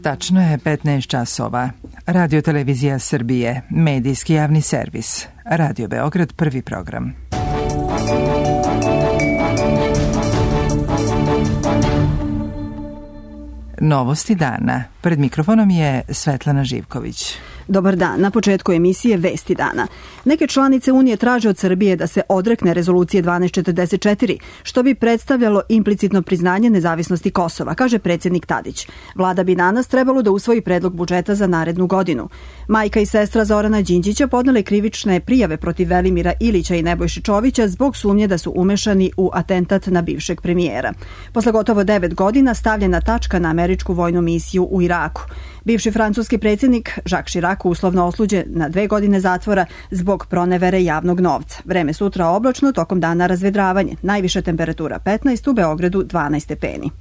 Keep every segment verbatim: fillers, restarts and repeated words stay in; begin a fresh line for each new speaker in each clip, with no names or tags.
Tačno je petnaest časova. Radio Televizija Srbije, medijski javni servis. Radio Beograd, prvi program. Novosti dana. Pred mikrofonom je Svetlana Živković.
Dobar dan. Na početku emisije Vesti dana. Neke članice Unije traže od Srbije da se odrekne rezolucije dvanaest četrdeset četiri, što bi predstavljalo implicitno priznanje nezavisnosti Kosova, kaže predsjednik Tadić. Vlada bi danas trebalo da usvoji predlog budžeta za narednu godinu. Majka i sestra Zorana Đinđića podnele krivične prijave protiv Velimira Ilića i Nebojše Čovića zbog sumnje da su umešani u atentat na bivšeg premijera. Posle gotovo devet godina stavljena tačka na američku vojnu misiju u Iraku. Bivši francuski predsjednik Jacques Chirac uslovno osuđen na dve godine zatvora zbog pronevere javnog novca. Vreme sutra oblačno, tokom dana razvedravanje. Najviša temperatura petnaest, u Beogradu dvanaest stepeni.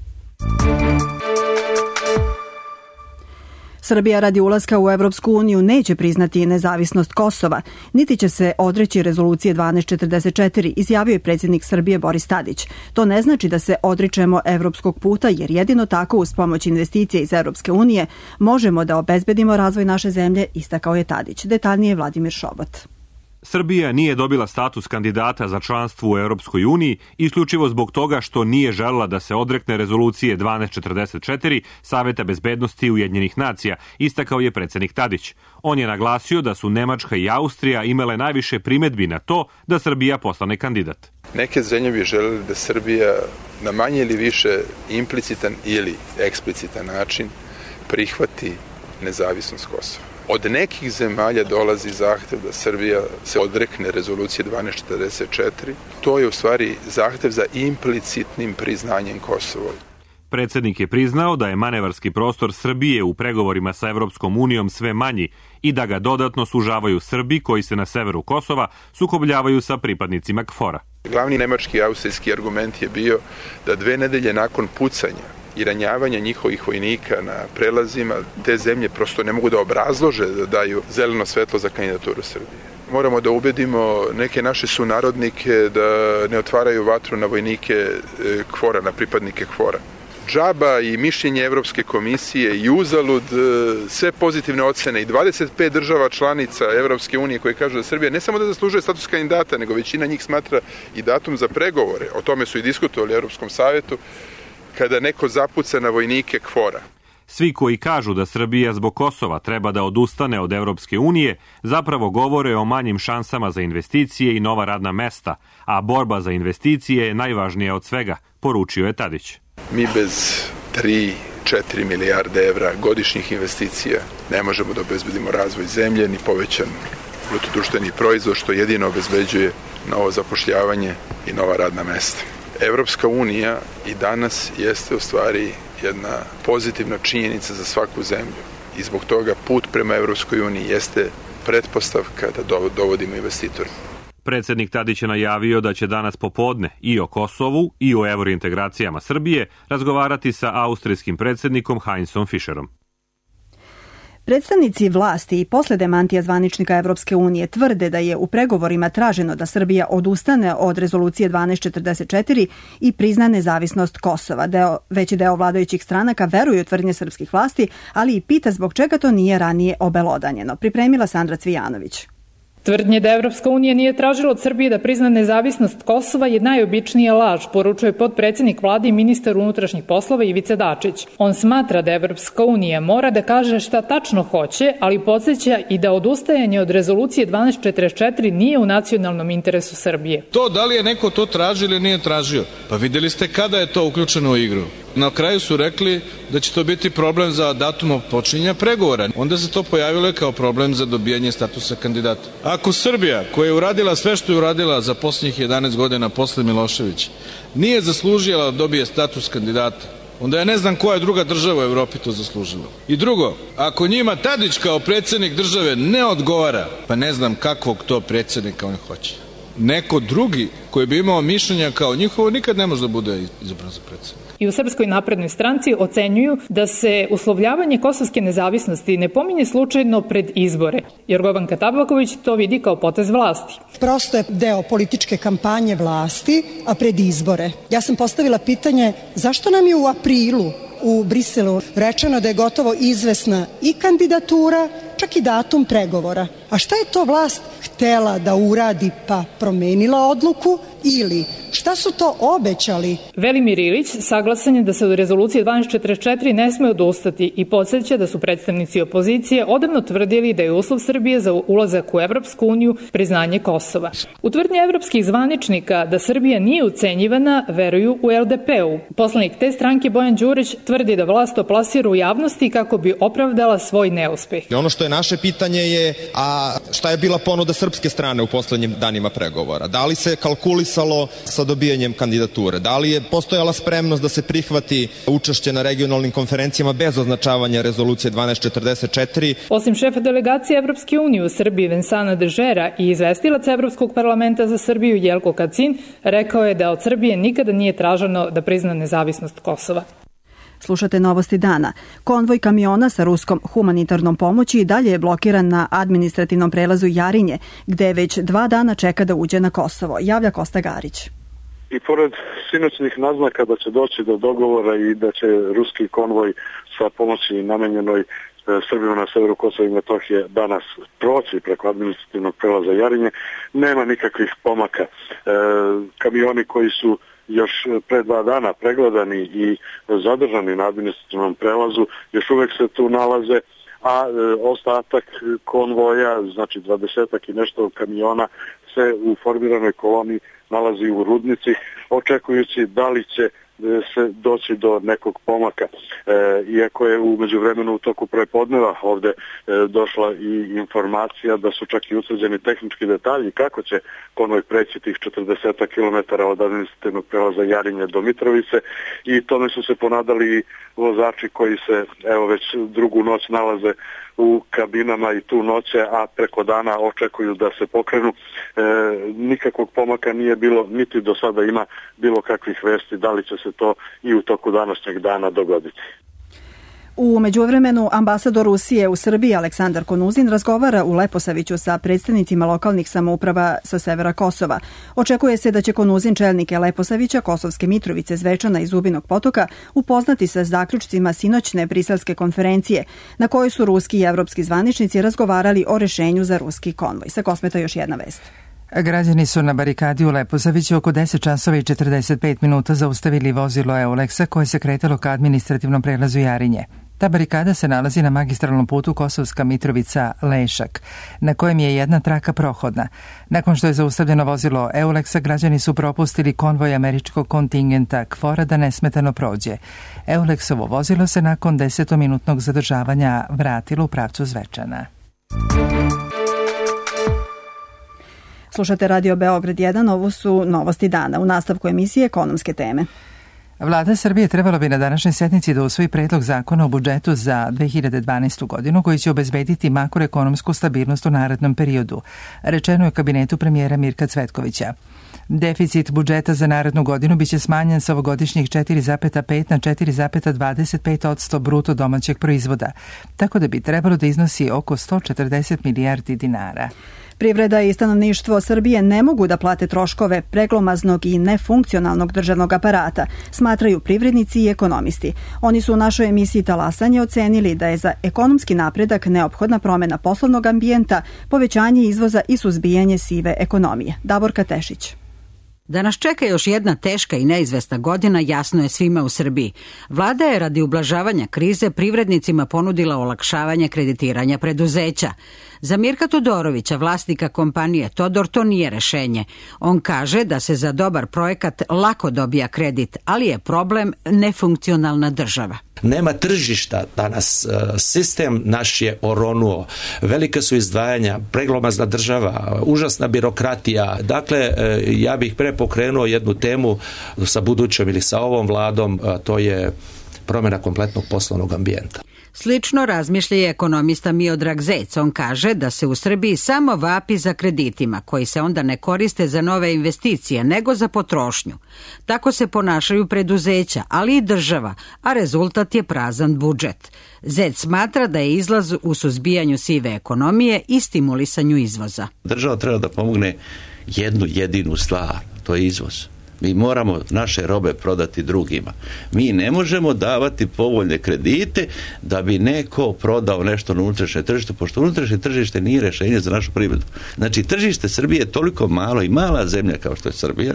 Srbija radi ulaska u Evropsku uniju neće priznati nezavisnost Kosova, niti će se odreći rezolucije dvanaest četrdeset četiri, izjavio je predsjednik Srbije Boris Tadić. To ne znači da se odričemo evropskog puta, jer jedino tako uz pomoć investicija iz Evropske unije možemo da obezbedimo razvoj naše zemlje, istakao je Tadić. Detaljnije Vladimir Šobot.
Srbija nije dobila status kandidata za članstvo u Europskoj uniji isključivo zbog toga što nije želela da se odrekne rezolucije dvanaest četrdeset četiri Saveta bezbednosti Ujedinjenih nacija, istakao je predsjednik Tadić. On je naglasio da su Nemačka i Austrija imale najviše primedbi na to da Srbija postane kandidat.
Neke zemlje bi želeli da Srbija na manje ili više implicitan ili eksplicitan način prihvati nezavisnost Kosova. Od nekih zemalja dolazi zahtev da Srbija se odrekne rezolucije dvanaest četrdeset četiri. To je u stvari zahtev za implicitnim priznanjem Kosova.
Predsjednik je priznao da je manevarski prostor Srbije u pregovorima sa Evropskom unijom sve manji i da ga dodatno sužavaju Srbi koji se na severu Kosova sukobljavaju sa pripadnicima KFOR-a.
Glavni nemački i austrijski argument je bio da dve nedelje nakon pucanja i ranjavanja njihovih vojnika na prelazima, te zemlje prosto ne mogu da obrazlože da daju zeleno svetlo za kandidaturu Srbije. Moramo da ubedimo neke naše sunarodnike da ne otvaraju vatru na vojnike KFOR-a, na pripadnike KFOR-a. Džaba i mišljenje Evropske komisije i uzalud sve pozitivne ocene i dvadeset pet država članica Evropske unije koje kažu da Srbija ne samo da zaslužuje status kandidata, nego većina njih smatra i datum za pregovore. O tome su i diskutovali u Evropskom savetu kada neko zapuca na vojnike KFOR-a.
Svi koji kažu da Srbija zbog Kosova treba da odustane od Evropske unije zapravo govore o manjim šansama za investicije i nova radna mesta, a borba za investicije je najvažnija od svega, poručio je Tadić.
Mi bez tri do četiri milijarde evra godišnjih investicija ne možemo da obezbedimo razvoj zemlje ni povećan bruto društveni proizvod, što jedino obezbeđuje novo zapošljavanje i nova radna mesta. Evropska unija i danas jeste u stvari jedna pozitivna činjenica za svaku zemlju i zbog toga put prema Evropskoj uniji jeste pretpostavka da dovodimo investitore.
Predsjednik Tadić je najavio da će danas popodne i o Kosovu i o evrointegracijama Srbije razgovarati sa austrijskim predsjednikom Heinzom Fischerom.
Predstavnici vlasti i posle demantija zvaničnika Evropske unije tvrde da je u pregovorima traženo da Srbija odustane od rezolucije dvanaest četrdeset četiri i prizna nezavisnost Kosova. Deo, veći deo vladajućih stranaka veruje u tvrdnje srpskih vlasti, ali i pita zbog čega to nije ranije obelodanjeno. Pripremila Sandra Cvijanović.
Tvrdnje da Evropska unija nije tražila od Srbije da prizna nezavisnost Kosova je najobičnija laž, poručuje potpredsjednik vlade i ministar unutrašnjih poslova Ivica Dačić. On smatra da Evropska unija mora da kaže šta tačno hoće, ali podsjeća i da odustajanje od rezolucije dvanaest četrdeset četiri nije u nacionalnom interesu Srbije.
To da li je neko to tražio ili nije tražio? Pa vidjeli ste kada je to uključeno u igru. Na kraju su rekli da će to biti problem za datum počinjenja pregovora. Onda se to pojavilo kao problem za dobijanje statusa kandidata. Ako Srbija, koja je uradila sve što je uradila za posljednjih jedanaest godina posle Miloševića, nije zaslužila da dobije status kandidata, onda ja ne znam koja druga država u Evropi to zaslužila. I drugo, ako njima Tadić kao predsjednik države ne odgovara, pa ne znam kakvog to predsjednika oni hoće. Neko drugi koji bi imao mišljenja kao njihovo nikad ne može da bude izabran za predsjednika.
I u Srpskoj naprednoj stranci ocenjuju da se uslovljavanje kosovske nezavisnosti ne pominje slučajno pred izbore. Jorgovanka Tabaković to vidi kao potez vlasti.
Prosto je deo političke kampanje vlasti, a pred izbore. Ja sam postavila pitanje zašto nam je u aprilu u Briselu rečeno da je gotovo izvesna i kandidatura, čak i datum pregovora. A šta je to vlast htela da uradi pa promenila odluku ili šta su to obećali?
Velimir Ilić saglasan je da se od rezolucije dvanaest četrdeset četiri ne sme odustati i podsjeća da su predstavnici opozicije odavno tvrdili da je uslov Srbije za ulazak u Evropsku uniju priznanje Kosova. U tvrdnji evropskih zvaničnika da Srbija nije ucenjivana veruju u el de pe-u. Poslanik te stranke Bojan Đurić tvrdi da vlast to plasira u javnosti kako bi opravdala svoj neuspeh.
Ono što je naše pitanje je, a šta je bila ponuda srpske strane u poslednjim danima pregovora? Da li se kalkulisalo sa dobijanjem kandidature? Da li je postojala spremnost da se prihvati učešće na regionalnim konferencijama bez označavanja rezolucije dvanaest četrdeset četiri?
Osim šefa delegacije Evropske unije u Srbiji Vincenta Dežera i izvestilac Evropskog parlamenta za Srbiju Jelko Kacin rekao je da od Srbije nikada nije traženo da prizna nezavisnost Kosova.
Slušate Novosti dana. Konvoj kamiona sa ruskom humanitarnom pomoći i dalje je blokiran na administrativnom prelazu Jarinje, gde već dva dana čeka da uđe na Kosovo. Javlja Kosta Garić.
I pored sinoćnih naznaka da će doći do dogovora i da će ruski konvoj sa pomoći namenjenoj Srbima na severu Kosova i Metohije danas proći preko administrativnog prelaza Jarinje, nema nikakvih pomaka. E, kamioni koji su još pre dva dana pregledani i zadržani na administrativnom prelazu, još uvek se tu nalaze, a e, ostatak konvoja, znači dvadesetak i nešto kamiona, se u formiranoj koloni nalazi u Rudnici, očekujući da li će se doći do nekog pomaka. E, iako je u međuvremenu u toku prepodneva ovde e, došla i informacija da su čak i utvrđeni tehnički detalji kako će konvoj preći tih četrdeset kilometara od administrativnog prelaza Jarinje do Mitrovice i tome su se ponadali i vozači koji se evo već drugu noć nalaze u kabinama i tu noće, a preko dana očekuju da se pokrenu. E, nikakvog pomaka nije bilo, niti do sada ima bilo kakvih vesti, da li će se to i u toku današnjeg dana dogoditi.
U međuvremenu ambasador Rusije u Srbiji Aleksandar Konuzin razgovara u Leposaviću sa predstavnicima lokalnih samouprava sa severa Kosova. Očekuje se da će Konuzin čelnike Leposavića, Kosovske Mitrovice, Zvečana i Zubinog Potoka upoznati sa zaključcima sinoćne briselske konferencije na kojoj su ruski i evropski zvaničnici razgovarali o rešenju za ruski konvoj. Sa Kosmeta još jedna vest.
Građani su na barikadi u Leposaviću oko deset časova i četrdeset pet minuta zaustavili vozilo Euleksa koje se kretalo ka administrativnom prelazu Jarinje. Ta barikada se nalazi na magistralnom putu Kosovska Mitrovica-Lešak, na kojem je jedna traka prohodna. Nakon što je zaustavljeno vozilo Euleksa, građani su propustili konvoj američkog kontingenta KFOR-a da nesmetano prođe. Euleksovo vozilo se nakon desetominutnog zadržavanja vratilo u pravcu Zvečana.
Slušate Radio Beograd jedan, ovo su Novosti dana. U nastavku emisije ekonomske teme.
Vlada Srbije trebala bi na današnjoj sednici da usvoji predlog zakona o budžetu za dve hiljade dvanaestu. godinu koji će obezbediti makroekonomsku stabilnost u narednom periodu, rečeno je u kabinetu premijera Mirka Cvetkovića. Deficit budžeta za narednu godinu biće smanjen sa ovogodišnjih četiri zarez pet na četiri zarez dvadeset pet posto bruto domaćeg proizvoda, tako da bi trebalo da iznosi oko sto četrdeset milijardi dinara.
Privreda i stanovništvo Srbije ne mogu da plate troškove preglomaznog i nefunkcionalnog državnog aparata, smatraju privrednici i ekonomisti. Oni su u našoj emisiji Talasanje ocenili da je za ekonomski napredak neophodna promena poslovnog ambijenta, povećanje izvoza i suzbijanje sive ekonomije. Davorka Tešić.
Da nas čeka još jedna teška i neizvesna godina jasno je svima u Srbiji. Vlada je radi ublažavanja krize privrednicima ponudila olakšavanje kreditiranja preduzeća. Za Mirka Todorovića, vlasnika kompanije Todor, to nije rešenje. On kaže da se za dobar projekat lako dobija kredit, ali je problem nefunkcionalna država.
Nema tržišta danas, sistem naš je oronuo, velike su izdvajanja, preglomazna država, užasna birokratija. Dakle, ja bih pre pokrenuo jednu temu sa budućom ili sa ovom vladom, to je promjena kompletnog poslovnog ambijenta.
Slično razmišlja i ekonomista Miodrag Zec. On kaže da se u Srbiji samo vapi za kreditima, koji se onda ne koriste za nove investicije, nego za potrošnju. Tako se ponašaju preduzeća, ali i država, a rezultat je prazan budžet. Zec smatra da je izlaz u suzbijanju sive ekonomije i stimulisanju izvoza.
Država treba da pomogne jednu jedinu stvar, to je izvoz.
Mi moramo naše robe prodati drugima. Mi ne možemo davati povoljne kredite da bi neko prodao nešto na unutrašnje tržište, pošto unutrašnje tržište nije rješenje za našu privredu. Znači, tržište Srbije je toliko malo i mala zemlja kao što je Srbija,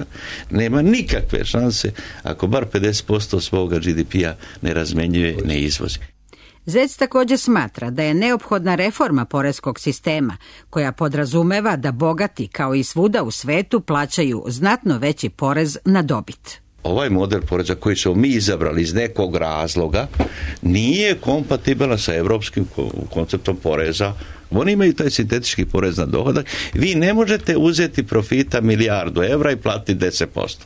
nema nikakve šanse ako bar pedeset posto svoga G D P-a ne razmenjuje, ne izvozi.
Zec također smatra da je neophodna reforma poreskog sistema koja podrazumeva da bogati kao i svuda u svetu plaćaju znatno veći porez na dobit.
Ovaj model poreza koji smo mi izabrali iz nekog razloga nije kompatibilan sa evropskim konceptom poreza. Oni imaju taj sintetički porez na dohodak. Vi ne možete uzeti profita milijardu evra i platiti deset posto.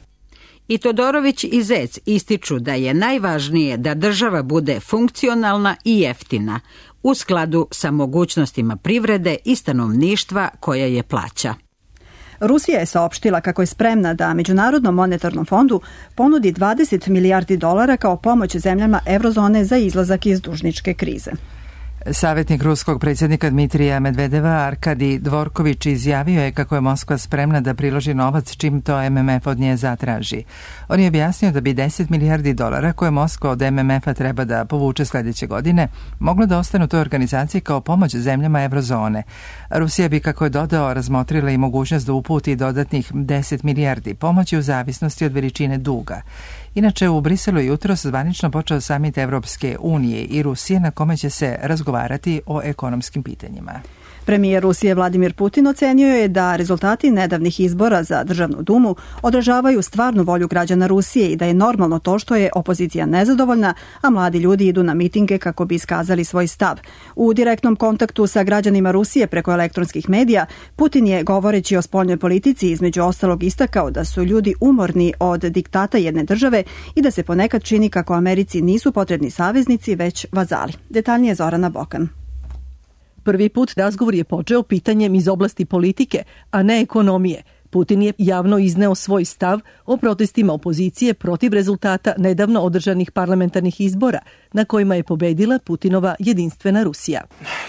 I Todorović i Zec ističu da je najvažnije da država bude funkcionalna i jeftina u skladu sa mogućnostima privrede i stanovništva koja je plaća.
Rusija je saopštila kako je spremna da Međunarodnom monetarnom fondu ponudi dvadeset milijardi dolara kao pomoć zemljama eurozone za izlazak iz dužničke krize.
Savjetnik ruskog predsjednika Dmitrija Medvedeva Arkadi Dvorković izjavio je kako je Moskva spremna da priloži novac čim to M M F od nje zatraži. On je objasnio da bi deset milijardi dolara koje Moskva od M M F-a treba da povuče sljedeće godine moglo da ostane u toj organizaciji kao pomoć zemljama eurozone. Rusija bi, kako je dodao, razmotrila i mogućnost da uputi dodatnih deset milijardi pomoći u zavisnosti od veličine duga. Inače, u Briselu je jutros zvanično počeo samit Evropske unije i Rusije na kome će se razgovarati o ekonomskim pitanjima.
Premijer Rusije Vladimir Putin ocenio je da rezultati nedavnih izbora za Državnu dumu odražavaju stvarnu volju građana Rusije i da je normalno to što je opozicija nezadovoljna, a mladi ljudi idu na mitinge kako bi iskazali svoj stav. U direktnom kontaktu sa građanima Rusije preko elektronskih medija, Putin je, govoreći o spoljnoj politici, između ostalog istakao da su ljudi umorni od diktata jedne države i da se ponekad čini kako Americi nisu potrebni saveznici, već vazali. Detaljnije Zorana Bokan.
Prvi put razgovor je počeo pitanjem iz oblasti politike, a ne ekonomije. Putin je javno izneo svoj stav o protestima opozicije protiv rezultata nedavno održanih parlamentarnih izbora, na kojima je pobedila Putinova jedinstvena Rusija.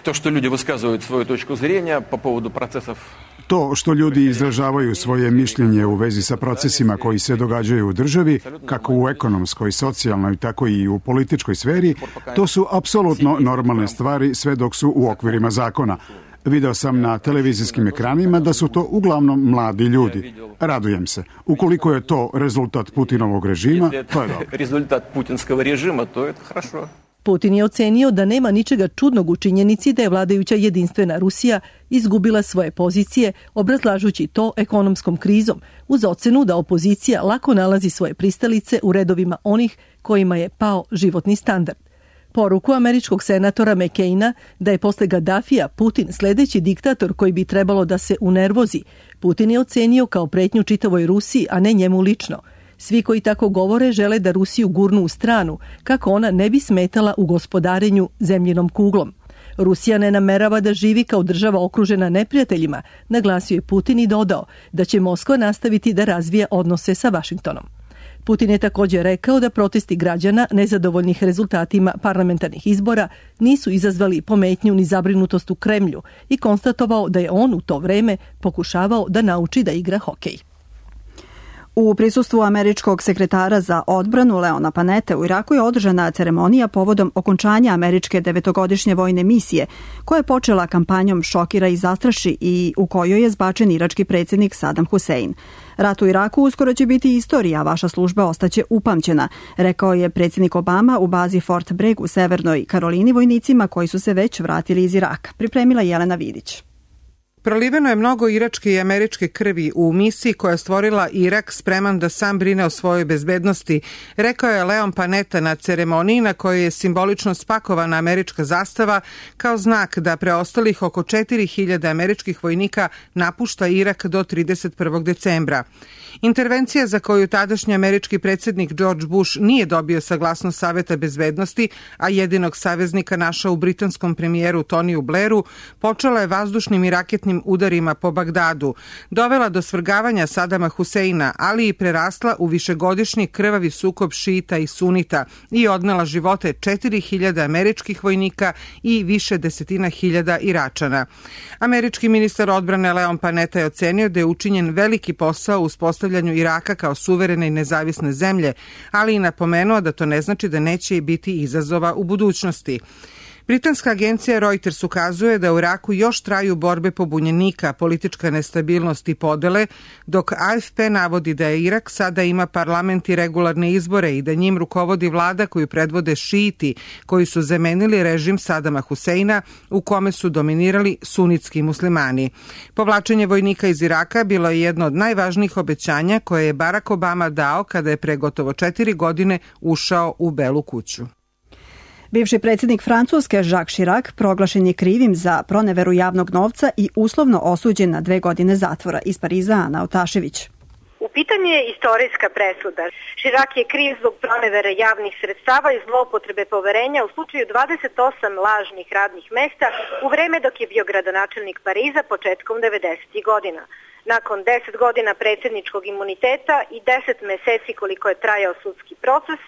To što ljudi vyskazuju svoju točku zrenja po povodu procesov.
To što ljudi izražavaju svoje mišljenje u vezi sa procesima koji se događaju u državi, kako u ekonomskoj, socijalnoj, tako i u političkoj sferi, to su apsolutno normalne stvari sve dok su u okvirima zakona. Video sam na televizijskim ekranima da su to uglavnom mladi ljudi. Radujem se. Ukoliko je to rezultat Putinovog režima, to je dobro.
Rezultat putinskog režima, to je хорошо.
Putin je ocenio da nema ničega čudnog u činjenici da je vladajuća jedinstvena Rusija izgubila svoje pozicije, obrazlažući to ekonomskom krizom, uz ocenu da opozicija lako nalazi svoje pristalice u redovima onih kojima je pao životni standard. Poruku američkog senatora McCaina da je posle Gaddafija Putin sljedeći diktator koji bi trebalo da se unervozi, Putin je ocenio kao pretnju čitavoj Rusiji, a ne njemu lično. Svi koji tako govore žele da Rusiju gurnu u stranu, kako ona ne bi smetala u gospodarenju zemljinom kuglom. Rusija ne namerava da živi kao država okružena neprijateljima, naglasio je Putin i dodao da će Moskva nastaviti da razvija odnose sa Vašingtonom. Putin je također rekao da protesti građana nezadovoljnih rezultatima parlamentarnih izbora nisu izazvali pometnju ni zabrinutost u Kremlju i konstatovao da je on u to vreme pokušavao da nauči da igra hokej.
U prisustvu američkog sekretara za odbranu Leona Panette u Iraku je održana ceremonija povodom okončanja američke devetogodišnje vojne misije, koja je počela kampanjom Šokira i zastraši i u kojoj je zbačen irački predsjednik Saddam Hussein. Rat u Iraku uskoro će biti istorija, a vaša služba ostaće upamćena, rekao je predsjednik Obama u bazi Fort Bragg u Severnoj Karolini vojnicima koji su se već vratili iz Iraka. Pripremila Jelena Vidić.
Proliveno je mnogo iračke i američke krvi u misiji koja je stvorila Irak spreman da sam brine o svojoj bezbednosti, rekao je Leon Panetta na ceremoniji na kojoj je simbolično spakovana američka zastava kao znak da preostalih oko četiri hiljade američkih vojnika napušta Irak do trideset prvog decembra. Intervencija za koju tadašnji američki predsjednik George Bush nije dobio saglasnost Saveta bezbednosti, a jedinog saveznika našao u britanskom premijeru Toniju Blairu, počela je vazdušnim i raketnim zadnjim udarima po Bagdadu, dovela do svrgavanja Sadama Huseina, ali i prerasla u višegodišnji krvavi sukob šita i sunita i odnela živote četiri hiljade američkih vojnika i više desetina hiljada Iračana. Američki ministar odbrane Leon Panetta je ocenio da je učinjen veliki posao u uspostavljanju Iraka kao suverene i nezavisne zemlje, ali i napomenuo da to ne znači da neće biti izazova u budućnosti. Britanska agencija Reuters ukazuje da u Iraku još traju borbe pobunjenika, politička nestabilnost i podele, dok A F P navodi da je Irak sada ima parlament i regularne izbore i da njim rukovodi vlada koju predvode šiiti, koji su zamenili režim Sadama Huseina u kome su dominirali sunitski muslimani. Povlačenje vojnika iz Iraka bilo je jedno od najvažnijih obećanja koje je Barack Obama dao kada je pre gotovo četiri godine ušao u Belu kuću.
Bivši predsjednik Francuske Jacques Chirac proglašen je krivim za proneveru javnog novca i uslovno osuđen na dve godine zatvora. Iz Pariza Ana Otašević.
U pitanju je istorijska presuda. Chirac je kriv zbog pronevere javnih sredstava i zloupotrebe poverenja u slučaju dvadeset osam lažnih radnih mesta u vreme dok je bio gradonačelnik Pariza početkom devedesetih godina. Nakon deset godina predsjedničkog imuniteta i deset meseci koliko je trajao sudski proces,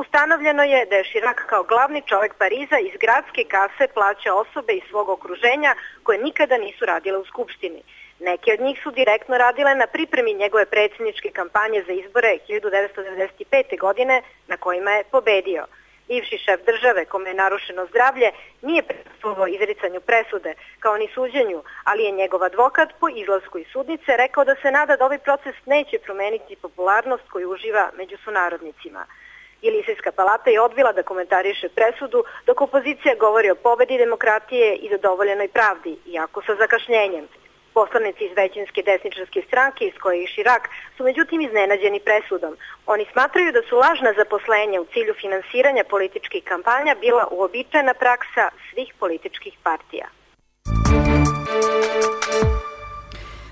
ustanovljeno je da je Chirac kao glavni čovjek Pariza iz gradske kase plaća osobe iz svog okruženja koje nikada nisu radile u skupštini. Neke od njih su direktno radile na pripremi njegove predsjedničke kampanje za izbore hiljadu devetsto devedeset pete. godine na kojima je pobedio. Bivši šef države, kome je narušeno zdravlje, nije prisustvovao izricanju presude, kao ni suđenju, ali je njegov advokat po izlasku iz sudnice rekao da se nada da ovaj proces neće promeniti popularnost koju uživa među sunarodnicima. Ilisijska palata je odbila da komentariše presudu, dok opozicija govori o pobedi demokratije i zadovoljenoj pravdi, iako sa zakašnjenjem. Poslanici iz većinske desničarske stranke iz koje je Chirac su međutim iznenađeni presudom. Oni smatraju da su lažna zaposlenja u cilju finansiranja političkih kampanja bila uobičajena praksa svih političkih partija.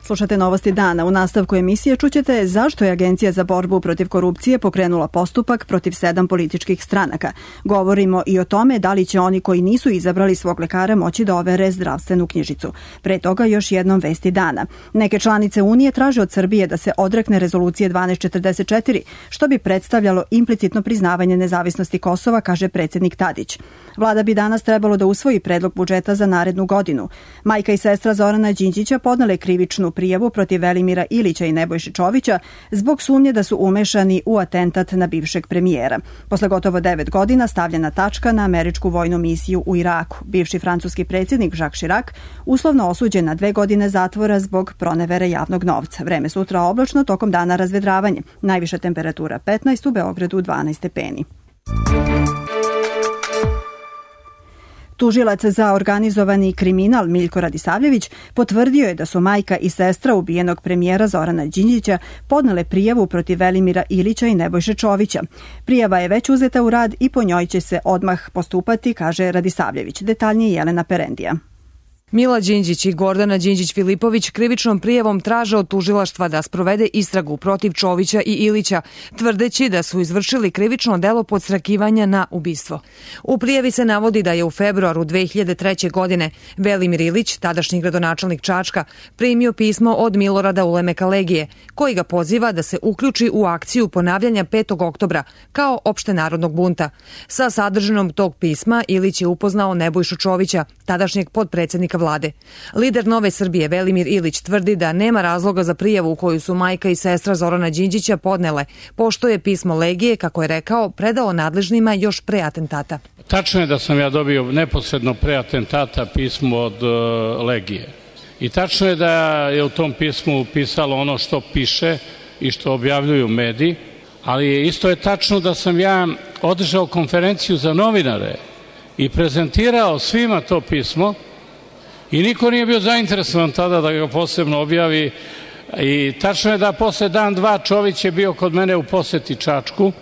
Slušate Novosti dana. U nastavku emisije čućete zašto je Agencija za borbu protiv korupcije pokrenula postupak protiv sedam političkih stranaka. Govorimo i o tome da li će oni koji nisu izabrali svog lekara moći da overe zdravstvenu knjižicu. Pre toga još jednom vesti dana. Neke članice Unije traže od Srbije da se odrekne rezolucije dvanaest četrdeset četiri, što bi predstavljalo implicitno priznavanje nezavisnosti Kosova, kaže predsjednik Tadić. Vlada bi danas trebalo da usvoji predlog budžeta za narednu godinu. Majka i sestra Zorana Đinđića podnele krivičnu prijavu protiv Velimira Ilića i Nebojše Čovića zbog sumnje da su umešani u atentat na bivšeg premijera. Posle gotovo devet godina stavljena tačka na američku vojnu misiju u Iraku. Bivši francuski predsjednik Jacques Chirac uslovno osuđen na dve godine zatvora zbog pronevere javnog novca. Vreme sutra oblačno, tokom dana razvedravanje. Najviša temperatura petnaest, u Beogradu dvanaest stepeni. Tužilac za organizovani kriminal Miljko Radisavljević potvrdio je da su majka i sestra ubijenog premijera Zorana Đinđića podnele prijavu protiv Velimira Ilića i Nebojše Čovića. Prijava je već uzeta u rad i po njoj će se odmah postupati, kaže Radisavljević. Detaljnije Jelena Perendija.
Mila Đinđić i Gordana Đinđić-Filipović krivičnom prijavom traže od tužilaštva da sprovede istragu protiv Čovića i Ilića, tvrdeći da su izvršili krivično delo podsrakivanja na ubistvo. U prijavi se navodi da je u februaru dve hiljade treće. godine Velimir Ilić, tadašnji gradonačelnik Čačka, primio pismo od Milorada Ulemeka Legije, koji ga poziva da se uključi u akciju ponavljanja petog oktobra kao opštenarodnog bunta. Sa sadržinom tog pisma Ilić je upoznao Nebojšu Čovića, tadašnjeg podpredsjednika vlade. Lider Nove Srbije Velimir Ilić tvrdi da nema razloga za prijavu u koju su majka i sestra Zorana Đinđića podnele, pošto je pismo Legije, kako je rekao, predao nadležnima još pre atentata.
Tačno je da sam ja dobio neposredno pre atentata pismo od uh, Legije. I tačno je da je u tom pismu pisalo ono što piše i što objavljuju mediji, ali isto je tačno da sam ja održao konferenciju za novinare i prezentirao svima to pismo i niko nije bio zainteresovan tada da ga posebno objavi. I tačno je da posle dan, dva Čović je bio kod mene u poseti Čačku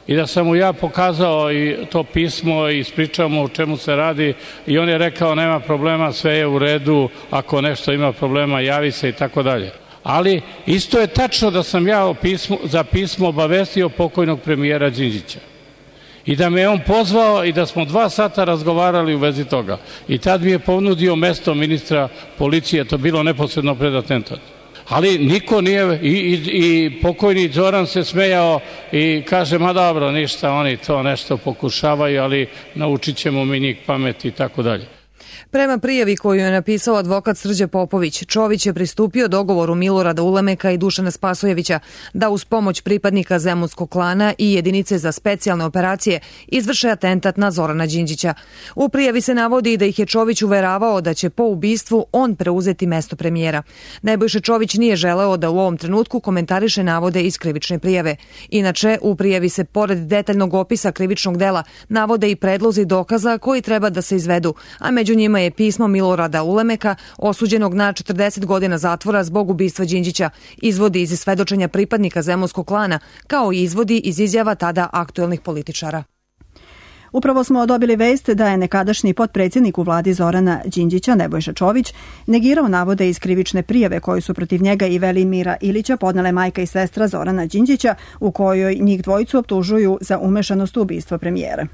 i da sam mu ja pokazao i to pismo i ispričao mu o čemu se radi i on je rekao nema problema, sve je u redu, ako nešto ima problema javi se i tako dalje. Ali isto je tačno da sam ja pismo, za pismo obavestio pokojnog premijera Đinđića. I da me on pozvao i da smo dva sata razgovarali u vezi toga. I tad mi je ponudio mesto ministra policije, to bilo neposredno pred atentat. Ali niko nije, i, i, i pokojni Zoran se smejao i kaže, ma dobro, ništa, oni to nešto pokušavaju, ali naučit ćemo mi njih pameti i tako dalje.
Prema prijavi koju je napisao advokat Srđe Popović, Čović je pristupio dogovoru Milorada Ulemeka i Dušana Spasojevića da uz pomoć pripadnika zemunskog klana i jedinice za specijalne operacije izvrše atentat na Zorana Đinđića. U prijavi se navodi da ih je Čović uveravao da će po ubistvu on preuzeti mesto premijera. Nebojša Čović nije želeo da u ovom trenutku komentariše navode iz krivične prijave. Inače, u prijavi se pored detaljnog opisa krivičnog dela navode i predlozi dokaza koji treba da se izvedu, a među njima je pismo Milorada Ulemeka, osuđenog na četrdeset godina zatvora zbog ubistva Đinđića, izvodi iz svedočenja pripadnika zemunskog klana, kao i izvodi iz izjava tada aktuelnih političara.
Upravo smo dobili vest da je nekadašnji potpredsjednik u vladi Zorana Đinđića, Nebojša Čović, negirao navode iz krivične prijave koju su protiv njega i Velimira Ilića podnele majka i sestra Zorana Đinđića, u kojoj njih dvojicu optužuju za umešanost u ubistvo premijera.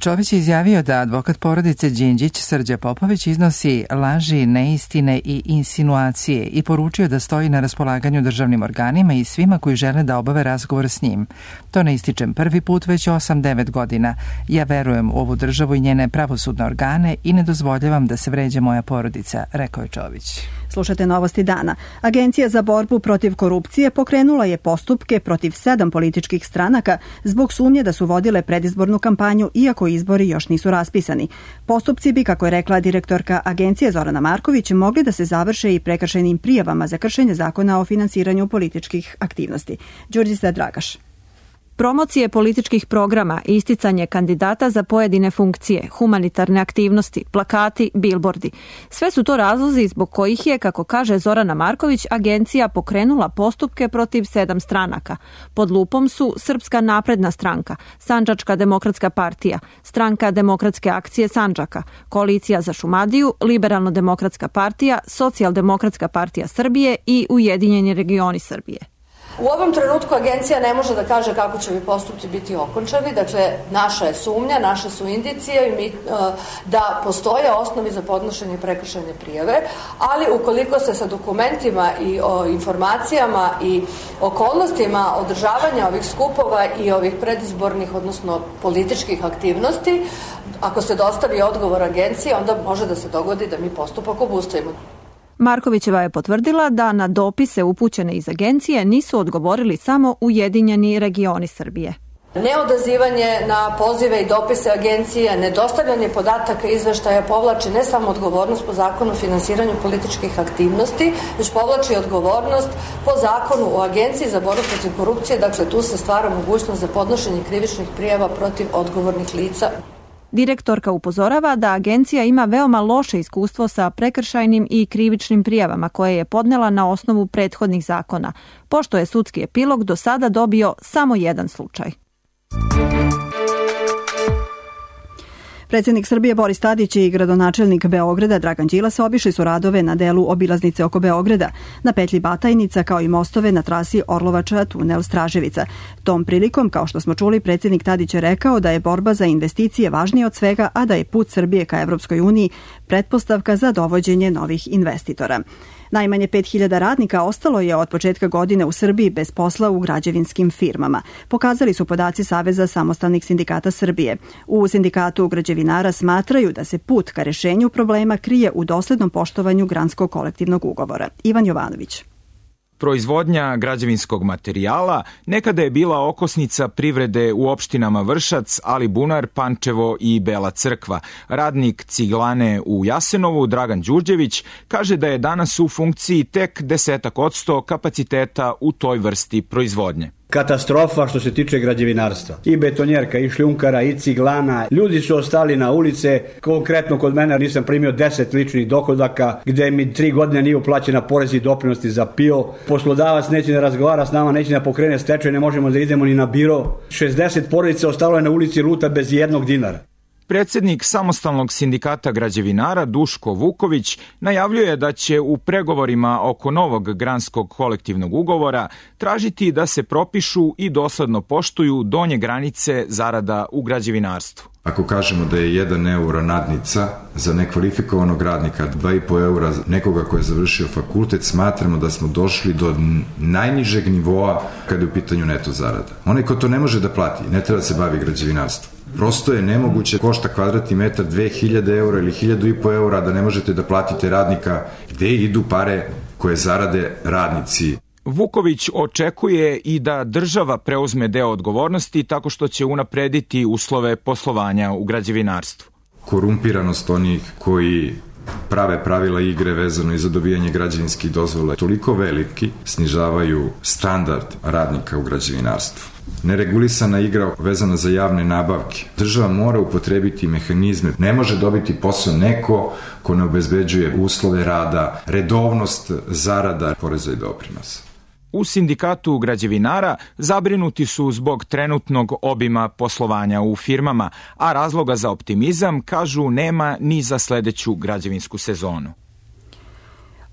Čović je izjavio da advokat porodice Đinđić, Srđa Popović, iznosi laži, neistine i insinuacije i poručio da stoji na raspolaganju državnim organima i svima koji žele da obave razgovor s njim. To ne ističem prvi put, već osam devet godina. Ja verujem u ovu državu i njene pravosudne organe i ne dozvoljavam da se vređa moja porodica, rekao je Čović.
Slušate novosti dana. Agencija za borbu protiv korupcije pokrenula je postupke protiv sedam političkih stranaka zbog sumnje da su vodile predizbornu kampanju, iako izbori još nisu raspisani. Postupci bi, kako je rekla direktorka agencije Zorana Marković, mogli da se završe i prekršajnim prijavama za kršenje zakona o finansiranju političkih aktivnosti. Đurđica Dragaš.
Promocije političkih programa, isticanje kandidata za pojedine funkcije, humanitarne aktivnosti, plakati, bilbordi. Sve su to razlozi zbog kojih je, kako kaže Zorana Marković, agencija pokrenula postupke protiv sedam stranaka. Pod lupom su Srpska napredna stranka, Sandžačka demokratska partija, Stranka demokratske akcije Sandžaka, Koalicija za Šumadiju, Liberalno-demokratska partija, Socijaldemokratska partija Srbije i Ujedinjeni regioni Srbije.
U ovom trenutku agencija ne može da kaže kako će ovi postupci biti okončani, dakle naša je sumnja, naše su indicije mi, da postoje osnovi za podnošenje prekršajne prijave, ali ukoliko se sa dokumentima i o informacijama i okolnostima održavanja ovih skupova i ovih predizbornih, odnosno političkih aktivnosti, ako se dostavi odgovor agencije, onda može da se dogodi da mi postupak obustavimo.
Markovićeva je potvrdila da na dopise upućene iz agencije nisu odgovorili samo Ujedinjeni regioni Srbije.
Neodazivanje na pozive i dopise agencije, nedostavljanje podataka i izveštaja povlači ne samo odgovornost po zakonu o finansiranju političkih aktivnosti, već povlači odgovornost po zakonu o agenciji za borbu protiv korupcije, dakle tu se stvara mogućnost za podnošenje krivičnih prijava protiv odgovornih lica.
Direktorka upozorava da agencija ima veoma loše iskustvo sa prekršajnim i krivičnim prijavama koje je podnela na osnovu prethodnih zakona, pošto je sudski epilog do sada dobio samo jedan slučaj.
Predsjednik Srbije Boris Tadić i gradonačelnik Beograda Dragan Đilas obišli su radove na delu obilaznice oko Beograda, na petlji Batajnica, kao i mostove na trasi Orlovača tunel Straževica. Tom prilikom, kao što smo čuli, predsjednik Tadić je rekao da je borba za investicije važnija od svega, a da je put Srbije ka Evropskoj uniji pretpostavka za dovođenje novih investitora. Najmanje pet hiljada radnika ostalo je od početka godine u Srbiji bez posla u građevinskim firmama. Pokazali su podaci Saveza samostalnih sindikata Srbije. U sindikatu građevinara smatraju da se put ka rešenju problema krije u doslednom poštovanju granskog kolektivnog ugovora. Ivan Jovanović.
Proizvodnja građevinskog materijala nekada je bila okosnica privrede u opštinama Vršac, Alibunar, Pančevo i Bela Crkva. Radnik ciglane u Jasenovu, Dragan Đurđević, kaže da je danas u funkciji tek desetak odsto kapaciteta u toj vrsti proizvodnje.
Katastrofa što se tiče građevinarstva. I betonjerka, i šljunkara, i ciglana. Ljudi su ostali na ulice. Konkretno kod mene nisam primio deset ličnih dohodaka, gde mi tri godine nije uplaćena porez i doprinosti za P I O. Poslodavac neće da razgovara s nama, neće da pokrene stečaj, ne možemo da idemo ni na biro. šezdeset porodica ostalo je na ulici luta bez jednog dinara.
Predsjednik Samostalnog sindikata građevinara Duško Vuković najavljuje da će u pregovorima oko novog granskog kolektivnog ugovora tražiti da se propišu i dosledno poštuju donje granice zarada u građevinarstvu.
Ako kažemo da je jedan euro nadnica za nekvalifikovanog radnika, dva i po eura nekoga ko je završio fakultet, smatramo da smo došli do najnižeg nivoa kada je u pitanju neto zarada. Onaj ko to ne može da plati, ne treba da se bavi građevinarstvom. Prosto je nemoguće, košta kvadratni metar dve hiljade eura ili hiljadu i po eura da ne možete da platite radnika. Gde idu pare koje zarade radnici?
Vuković očekuje i da država preuzme deo odgovornosti tako što će unaprediti uslove poslovanja u građevinarstvu.
Korumpiranost onih koji prave pravila igre vezano i za dobijanje građevinskih dozvola je toliko veliki, snižavaju standard radnika u građevinarstvu. Neregulisana igra vezana za javne nabavke. Država mora upotrebiti mehanizme. Ne može dobiti posao neko ko ne obezbeđuje uslove rada, redovnost zarada, poreza i doprinosa.
U sindikatu građevinara zabrinuti su zbog trenutnog obima poslovanja u firmama, a razloga za optimizam, kažu, nema ni za sledeću građevinsku sezonu.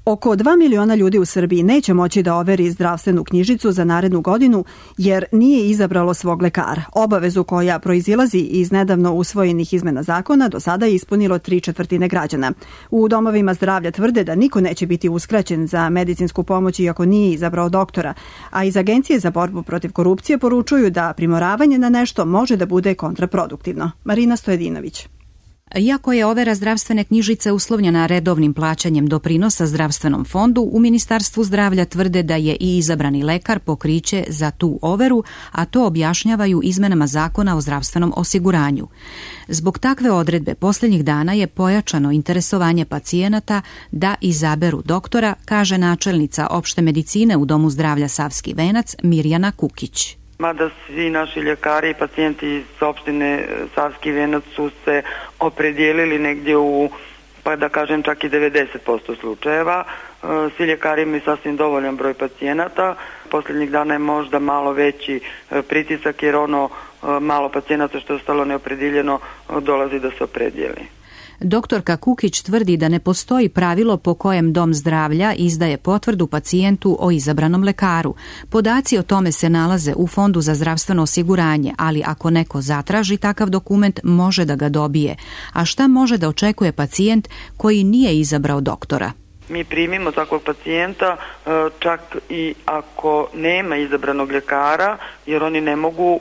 Oko dva miliona ljudi u Srbiji neće moći da overi zdravstvenu knjižicu za narednu godinu jer nije izabralo svog lekara. Obavezu koja proizilazi iz nedavno usvojenih izmena zakona do sada je ispunilo tri četvrtine građana. U domovima zdravlja tvrde da niko neće biti uskraćen za medicinsku pomoć iako nije izabrao doktora, a iz Agencije za borbu protiv korupcije poručuju da primoravanje na nešto može da bude kontraproduktivno. Marina Stojedinović.
Iako je overa zdravstvene knjižice uslovljena redovnim plaćanjem doprinosa zdravstvenom fondu, u Ministarstvu zdravlja tvrde da je i izabrani lekar pokriće za tu overu, a to objašnjavaju izmenama zakona o zdravstvenom osiguranju. Zbog takve odredbe posljednjih dana je pojačano interesovanje pacijenata da izaberu doktora, kaže načelnica opšte medicine u Domu zdravlja Savski Venac Mirjana Kukić.
Mada svi naši ljekari i pacijenti iz opštine Savski Venac su se opredijelili negdje u, pa da kažem čak i devedeset posto slučajeva. Svi ljekari imaju sasvim dovoljan broj pacijenata. Posljednjih dana je možda malo veći pritisak jer ono malo pacijenata što je ostalo neopredijeljeno dolazi da se opredijeli.
Doktorka Kukić tvrdi da ne postoji pravilo po kojem Dom zdravlja izdaje potvrdu pacijentu o izabranom lekaru. Podaci o tome se nalaze u Fondu za zdravstveno osiguranje, ali ako neko zatraži takav dokument, može da ga dobije. A šta može da očekuje pacijent koji nije izabrao doktora?
Mi primimo takvog pacijenta čak i ako nema izabranog ljekara, jer oni ne mogu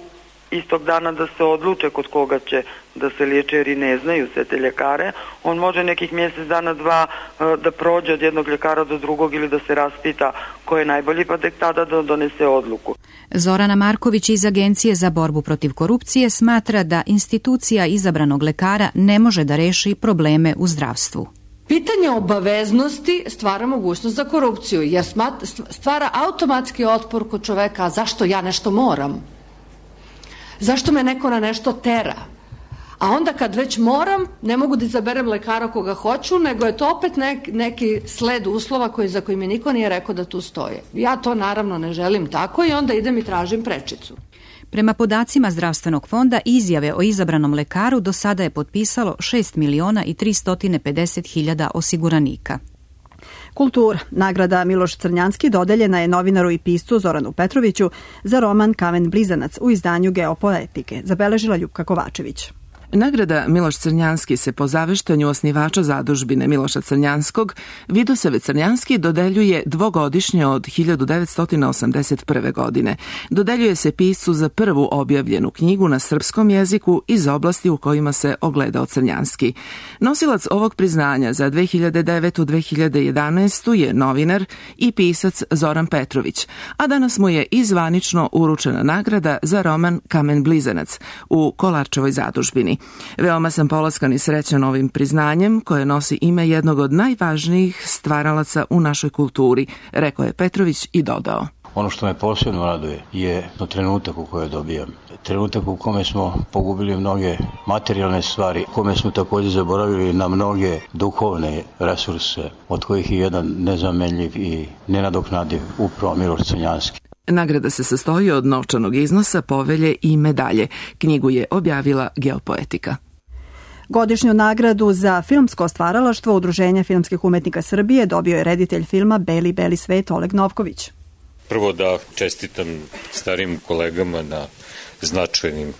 istog dana da se odluče kod koga će da se liječe jer i ne znaju sve te ljekare. On može nekih mjesec dana, dva da prođe od jednog ljekara do drugog ili da se raspita ko je najbolji pa tek tada da donese odluku.
Zorana Marković iz Agencije za borbu protiv korupcije smatra da institucija izabranog lekara ne može da reši probleme u zdravstvu.
Pitanje obaveznosti stvara mogućnost za korupciju jer stvara automatski otpor kod čoveka, a zašto ja nešto moram? Zašto me neko na nešto tera? A onda kad već moram, ne mogu da izaberem lekara koga hoću, nego je to opet nek, neki sled uslova koji, za koji mi niko nije rekao da tu stoje. Ja to naravno ne želim tako i onda idem i tražim prečicu.
Prema podacima Zdravstvenog fonda, izjave o izabranom lekaru do sada je potpisalo šest miliona i tristo pedeset hiljada osiguranika.
Kultura. Nagrada Miloš Crnjanski dodeljena je novinaru i piscu Zoranu Petroviću za roman Kamen Blizanac u izdanju Geopoetike, zabeležila Ljupka Kovačević.
Nagrada Miloš Crnjanski se po zaveštanju osnivača zadužbine Miloša Crnjanskog Vidosave Crnjanski dodeljuje dvogodišnje od hiljadu devetsto osamdeset prve. godine. Dodeljuje se piscu za prvu objavljenu knjigu na srpskom jeziku iz oblasti u kojima se ogledao Crnjanski. Nosilac ovog priznanja za dve hiljade devetu do dve hiljade jedanaestu. je novinar i pisac Zoran Petrović, a danas mu je i zvanično uručena nagrada za roman Kamen Blizanac u Kolarčevoj zadužbini. Veoma sam polaskan i srećan ovim priznanjem koje nosi ime jednog od najvažnijih stvaralaca u našoj kulturi, rekao je Petrović i dodao.
Ono što me posebno raduje je trenutak u kojem dobijam. Trenutak u kome smo pogubili mnoge materijalne stvari, u kome smo također zaboravili na mnoge duhovne resurse, od kojih je jedan nezamenljiv i nenadoknadiv upravo Miloš Crnjanski.
Nagrada se sastoji od novčanog iznosa, povelje i medalje. Knjigu je objavila Geopoetika.
Godišnju nagradu za filmsko stvaralaštvo Udruženja filmskih umetnika Srbije dobio je reditelj filma Beli, beli svet Oleg Novković.
Prvo da čestitam starim kolegama na značajnim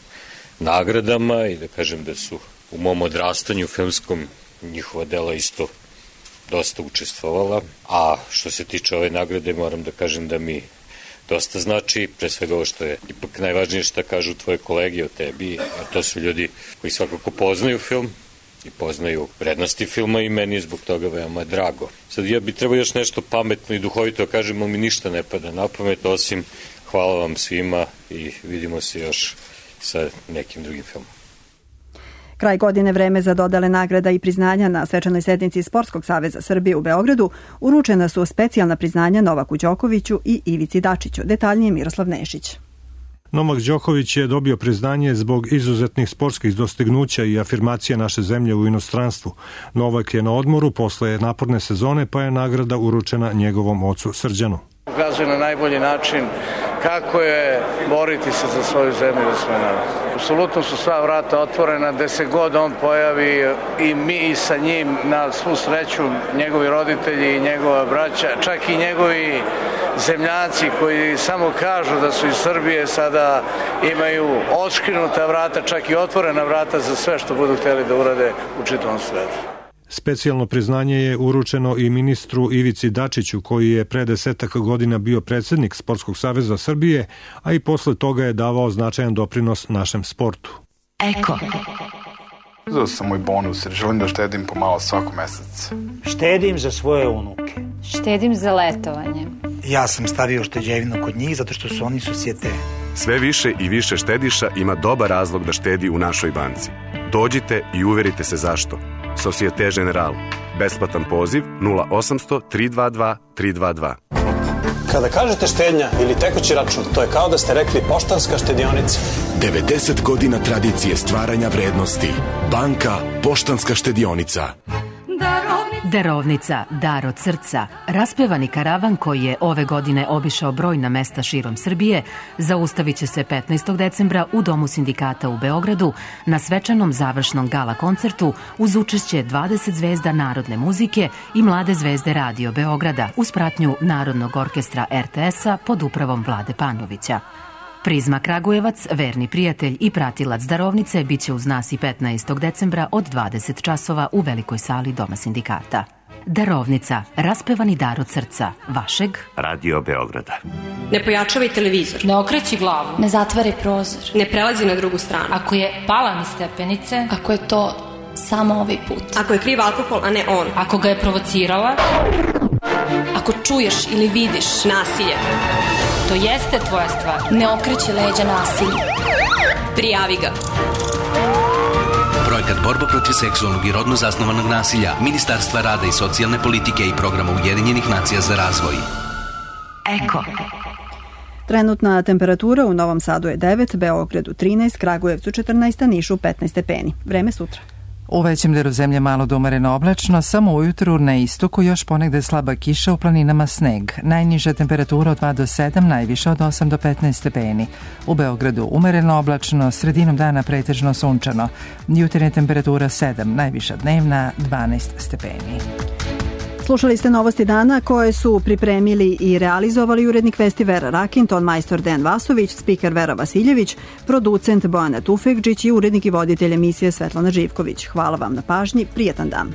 nagradama i da kažem da su u mom odrastanju filmskom njihova dela isto dosta učestvovala. A što se tiče ove nagrade, moram da kažem da mi dosta znači, pre svega ovo što je ipak najvažnije što kažu tvoje kolege o tebi, a to su ljudi koji svakako poznaju film i poznaju vrednosti filma i meni je zbog toga veoma drago. Sad ja bi trebao još nešto pametno i duhovito da kažem, ali mi ništa ne pada na pamet, osim hvala vam svima i vidimo se još sa nekim drugim filmom.
Kraj godine, vreme za dodale nagrada i priznanja. Na svečanoj sednici Sportskog saveza Srbije u Beogradu uručena su specijalna priznanja Novaku Đokoviću i Ivici Dačiću. Detaljnije Miroslav Nešić.
Novak Đoković je dobio priznanje zbog izuzetnih sportskih dostignuća i afirmacije naše zemlje u inostranstvu. Novak je na odmoru posle naporne sezone, pa je nagrada uručena njegovom ocu Srđanu.
Ukazuje na najbolji način kako je boriti se za svoju zemlju i za svoj narod. Apsolutno su sva vrata otvorena, gde se god on pojavi i mi i sa njim, na svu sreću, njegovi roditelji i njegova braća, čak i njegovi zemljaci koji samo kažu da su iz Srbije, sada imaju otškrinuta vrata, čak i otvorena vrata za sve što budu hteli da urade u čitavom svetu.
Specijalno priznanje je uručeno i ministru Ivici Dačiću, koji je pre desetak godina bio predsednik Sportskog saveza Srbije, a i posle toga je davao značajan doprinos našem sportu.
Eko. Uzeo sam moj bonus jer želim da štedim pomalo svako mesec.
Štedim za svoje unuke.
Štedim za letovanje.
Ja sam stavio šteđevinu kod njih zato što su oni susjete.
Sve više i više štediša ima dobar razlog da štedi u našoj banci. Dođite i uverite se zašto. Societe Generale. Besplatan poziv nula osamsto tri dva dva tri dva dva.
Kada kažete štednja ili tekući račun, to je kao da ste rekli Poštanska štedionica.
devedeset godina tradicije stvaranja vrednosti. Banka Poštanska štedionica.
Darovnica, dar od srca, raspevani karavan koji je ove godine obišao brojna mesta širom Srbije, zaustavit će se petnaestog decembra u Domu sindikata u Beogradu na svečanom završnom gala koncertu uz učešće dvadeset zvezda narodne muzike i mlade zvezde Radio Beograda uz pratnju Narodnog orkestra er te es-a pod upravom Vlade Panovića. Prizma Kragujevac, verni prijatelj i pratilac darovnice, biće uz nas i petnaestog decembra od dvadeset časova u velikoj sali Doma sindikata. Darovnica, raspevani dar od srca, vašeg
Radio Beograda.
Ne pojačavaj televizor. Ne okreći glavu.
Ne zatvaraj prozor.
Ne prelazi na drugu stranu.
Ako je pala mi stepenice, ako je to samo ovaj put.
Ako je kriv alkohol, a ne on.
Ako ga je provocirala, ako čuješ ili vidiš nasilje, to jeste tvoja stvar. Ne okreći leđa nasilju.
Prijavi ga.
Projekat Borba protiv seksualnog i rodno zasnovanog nasilja Ministarstva rada i socijalne politike i programa Ujedinjenih nacija za razvoj.
Eko. Trenutna temperatura u Novom Sadu je devet, Beogradu trinaest, Kragujevcu četrnaest, a Nišu petnaest stepeni. Vreme sutra.
U većem delu zemlje malo do umereno oblačno, samo ujutru na istoku još ponegde slaba kiša, u planinama sneg. Najniža temperatura od dva do sedam, najviša od osam do petnaest stepeni. U Beogradu umereno oblačno, sredinom dana pretežno sunčano. Jutarnja temperatura sedam, najviša dnevna dvanaest stepeni.
Slušali ste novosti dana koje su pripremili i realizovali urednik Vesti Vera Rakin, ton majstor Dejan Vasović, spiker Vera Vasiljević, producent Bojana Tufekđić i urednik i voditelj emisije Svetlana Živković. Hvala vam na pažnji, prijetan dan.